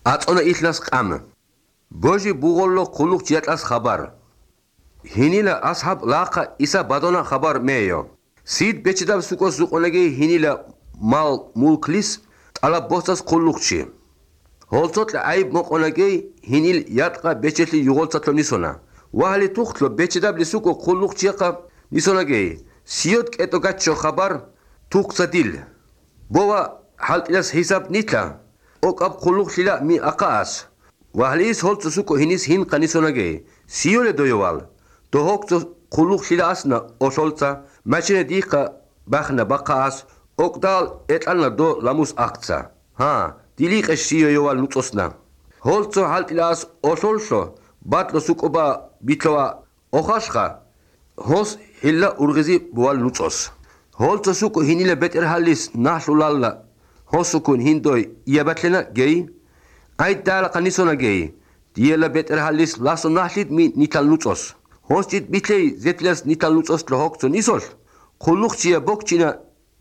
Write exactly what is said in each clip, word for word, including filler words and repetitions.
აწონა იხლას ყამ ბოჟი ბუღოლო ხულუხ ჯიატას ხაბარ ჰინილა ასჰაბ ლაყა ისა ბადონა ხაბარ მეიო სიდ ბეჭდავ სუკოს ზუყონეგი ჰინილა მალ მულკლის ტალა ბოსტას ხულუხში ჰოლცოტ აი მოყონეგი ჰინილ იატყა ბეჭელი იუღოლცათლო ნისონა ვალი თუხლო ბეჭდაბლი სუკო ხულუხჩიყა ნისონაგი სიოთ კეტო გაჩო ხაბარ თუხსადილ ბოვა ჰალტილას ჰისაბ ნიტლა ოკაბ ხულუხშილა მი აყას ვალის ჰოლცო სუკო ჰინის ჰინ ყანისონაგი სიოლე დოიოვალ დოჰოქცო ხულუხშილა ასნა ოსოლცა მაჩინე დიხა ბახნა ბაყას ოკდალ ეტანა დო ლამუს აქცა ჰა დილიყე სიოიოვალ ნუწოსნა ჰოლცო ჰალტილას ოსოლშო ბატლო სუკობა ბითლოა ოხაშხა ჰოს ჰილა ურღიზი ბოვალ ნუწოს ჰოლცო სუკო ჰინილე ბეტერჰალის ნაშულალა ჰოსუკუნ ჰინდოი იაბათლენა გეი აი დალა ყანისონა გეი დიელა ბეტერჰალის ლასო ნაშლით მი ნიტალ ნუწოს ჰოსჭით ბითლეი ზეთლას ნიტალ ნუწოს ლოხცო ნისოლ ხულუხჩია ბოქჩინა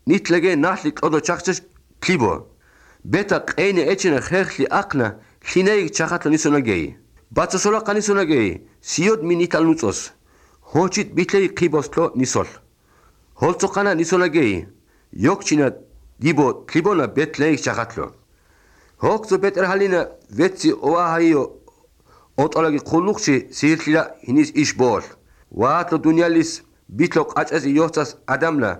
ნიტლეგე ნაშლი ყოდო ჩახჩეს ქლიბო ბეტა ყეინე ეჩენა ხერხლი აყნა ხინეი ჩახატლო ნისონა გეი ბაცოსოლა ყანისონა გეი სიოდ მი ნიტალ ნუწოს ჰოჭით ბითლეი ყიბოსლო ნისოლ ჰოლცო ყანა ნისონა გეი იოქჩინა დიბო ქლიბონა ბეთლეი ჩახატლო ჰოქცო ბეტერჰალინა ვეცი ოაჰაიო ოტოლაგი ხულუხში სირხილა ჰინის იშბოლ ვატო დუნიალის ბითლო ყაჭეზი იოხცას ადამლა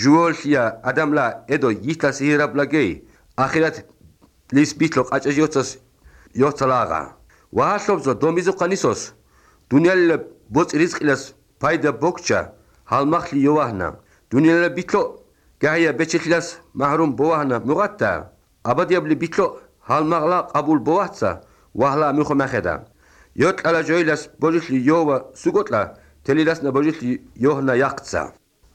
ჟუოლშია ადამლა ედო იტას ირაბლაგეი ახირათ ლის ბითლო ყაჭეზი იოხცას იოხცალაღა ვაჰლობზო დომიზო ყანისოს დუნიალილა ბოწ რიზყილას ფაიდა ბოქჩა ჰალმახლი იოვაჰნა დუნიალილა ბითლო გაია ბეჭილას მაჰრუმ ბოაჰნა მუღატა აბადიაბლი ბითლო ჰალმაღლა ყაბულ ბოაცა ვაჰლა მიხო მახედა იოტალა ჯოილას ბოჟიხლი იოვა სუგოტლა თელილასნა ბოჟიხლი იოჰნა яқცა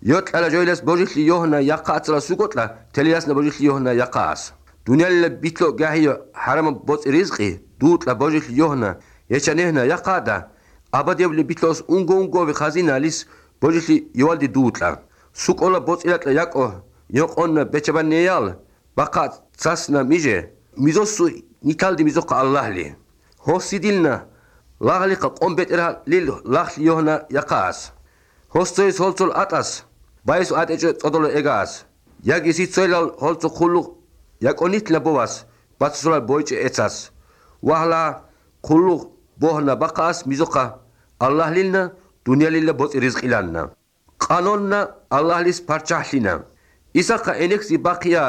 იოტალა ჯოილას ბოჟიხლი იოჰნა яқაცლა სუგოტლა თელილასნა ბოჟიხლი იოჰნა яқას დუნიალილა ბითლო გაია ჰარამ ბოწ რიზყი დუტლა ბოჟიხლი იოჰნა ეჩანეჰნა яқადა აბადიაბლი ბითლოს უნგო უნგოვი ხაზინალის ბოჟიხლი ივალდი დუტლა სუკოლა ბოწილატლა იაკო იოყონა ბეჭაბანეალ ბაყა ცასნა მიჟე მიზოსუ ნიტალდი მიზოყა ალლაჰლი ჰოსიდილნა ლაღლიყა ყომბეტერა ლილ ლახლი იოჰნა яқას ჰოსწოის ჰოლცოლ ატას ბაისო ატეჭე წოდოლო ეგას იაგი სიცოილალ ჰოლცო ხულუ იაკონიტლა ბოვას ბაცსოლა ბოიჭე ეცას ვაჰლა ხულუ ბოჰნა ბაყას მიზოყა ალლაჰლილნა დუნიალილა ბოწი რიზყილანნა ყანონნა ალლაჰლის პარჩაჰლინა ისახა ენექსი ბაყია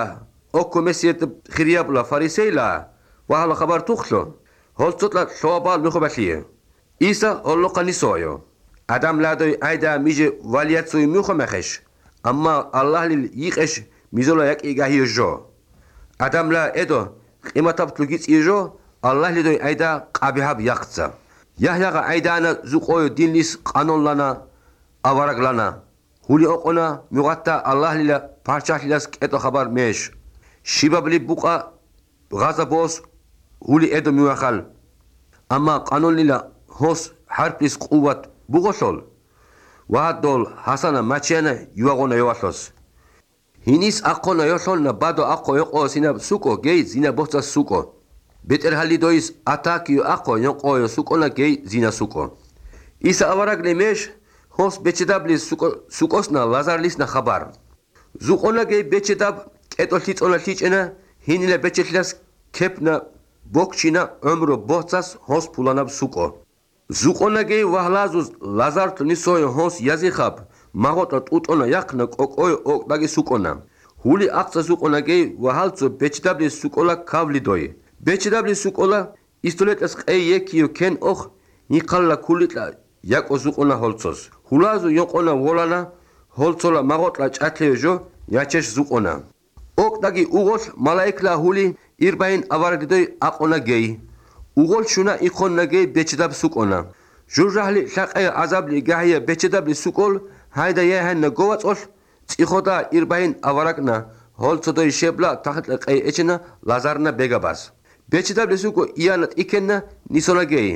ოქომესიეთ ხირიაბლა ფარისეილა ვაჰლა ხაბარ თუხლო ჰოლცოტლა შოაბალ მიხობალიე ისა ოლოყანისოიო ადამლადოი აიდა მიჟე ვალიაცოი მიხომახეშ ამა ალლაჰლილ იყეშ მიზოლა იაკი გაიოჟო ადამლა ედო ყიმათაბ თლუგიწიჟო ალლაჰლიდოი აიდა ყაბიჰაბ яқცა яჰяга აიდანა ზუყოი დილის ყანონლანა ავარაგლანა ჰული ოყონა მუღატა ალლაჰლილა პარჩაჰლილას კეტო ხაბარ მეშ შიბაბლი ბუყა ღაზაბოს ჰული ედო მიუახალ ამა ყანონლილა ჰოს ჰარფის ყუვათ ბუღოსოლ ვადოლ ჰასანა მაჩიანა იუაღონა იოვალოს ჰინის აყონა იოშოლნა ბადო აყო ეყო სინა სუკო გეი ზინა ბოცა სუკო ბეტერჰალიდოის ატაკიო აყო იოყო სუკონა გეი ზინა სუკო ისა ავარაგლე მეშ ჰოს ბეჭდაბლის სუკო სუკოსნა ლაზარლისნა ხაბარ ზუყონა გეი ბეჭდაბ კეტო ლიწონა ლიჭენა ჰინილე ბეჭეთლას ქეპნა ბოქჩინა ომრო ბოცას ჰოს ფულანაბ სუკო ზუყონა გეი ვაჰლაზუს ლაზარტ ნისოი ჰოს იაზიხაბ მაგოტა ტუტონა яқნა კოკოი ოკდაგი სუკონა ჰული აქცა ზუყონა გეი ვაჰალცო ბეჭდაბლის სუკოლა ქავლიდოი ბეჭდაბლის სუკოლა ისტოლეტას ყეი ეკიო კენ ოხ ნიყალა ქულიტლა იაკო ზუყონა ჰოლცოს ჰულაზუ იოყონა ვოლანა ჰოლცოლა მაგოტლა ჭათლეჟო იაჩეშ ზუყონა ოკდაგი უღოს მალაიკლა ჰული ირბაინ ავარდიდოი აყონა გეი უღოლ შუნა იხონა გეი ბეჭდაბ სუკონა ჟურჟაჰლი ლაყე აზაბლი გაია ბეჭდაბლი სუკოლ ჰაიდა იაჰანა გოვაწოლ წიხოდა ირბაინ ავარაკნა ჰოლცოდოი შებლა თახტლა ყეი ეჩენა ლაზარნა ბეგაბას ბეჭდაბლი სუკო იანატ იქენა ნისონა გეი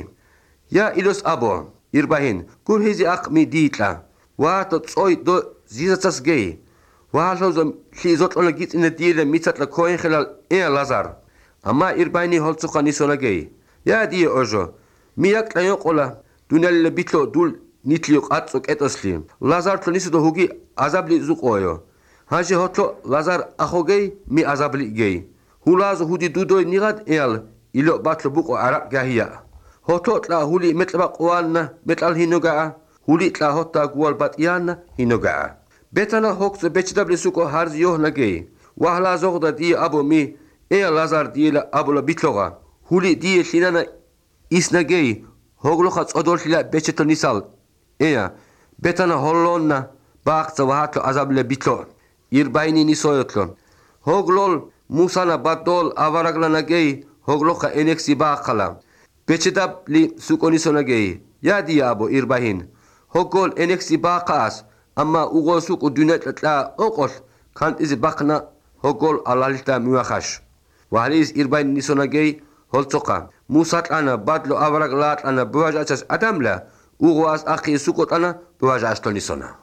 ია ილოს აბო ირბაინ გურჰიზი აყმი დიტლა ვატო წოი დო ზიზაცას გეი ვაჰლოზო ხიზოტონა გიწინე დიელე მიცატლა ქოენხელა ე ლაზარ ამა ირბაინი ჰოლცოხა ნისონაგეი იადიე ოჟო მიაკტაიო ყოლა დუნელე ბითლო დულ ნიტლიო ყაწო კეტოსლი ლაზართო ნისოდო ჰუგი აზაბლი ზუყოიო ჰაჟი ჰოთლო ლაზარ ახოგეი მი აზაბლი გეი ჰულაზ ჰუდი დუდოი ნიღად ეალ ილო ბათლო ბუყო არა გაჰია ჰოთლო ტლა ჰული მეტლება ყوان მეტალ ჰინოგა ჰული ტლა ჰოთა გუალ ბატიანა ჰინოგა ბეტანა ჰოქცო ბეჩდაბლი სუკო ჰარზ იოჰნაგეი ვაჰლა ზოღდა დი აბო მი ეალ ლაზარ დიელა აბოლა ბითლოღა ჰული დი ლინანა ისნაგეი ჰოგლოხა წოდორშილა ბეჩეთო ნისალ ეა ბეტანა ჰოლონა ბახცო ვაჰთო აზაბლე ბითლო ირბაინი ნისოյოთლო ჰოგლოლ მუსანა ბატოლ ავარაგლანაგეი ჰოგლოხა ენექსი ბახალა ბეჩედაბლი სუკონისონაგეი იადი აბო ირბაინ ჰოგოლ ენექსი ბახას ამა უღო სუკუ დუნეტლა ოყოლ ქანტიზი ბახნა ჰოგოლ ალალიტა მიუახაშ ვალის ირბაინ ნისონაგეი ჰოლცოყა მუსატანა ბადლო ავარაგლატანა ბუაჟაჩას ადამლა უღოას ახი სუკოტანა ბუაჟაშტონისონა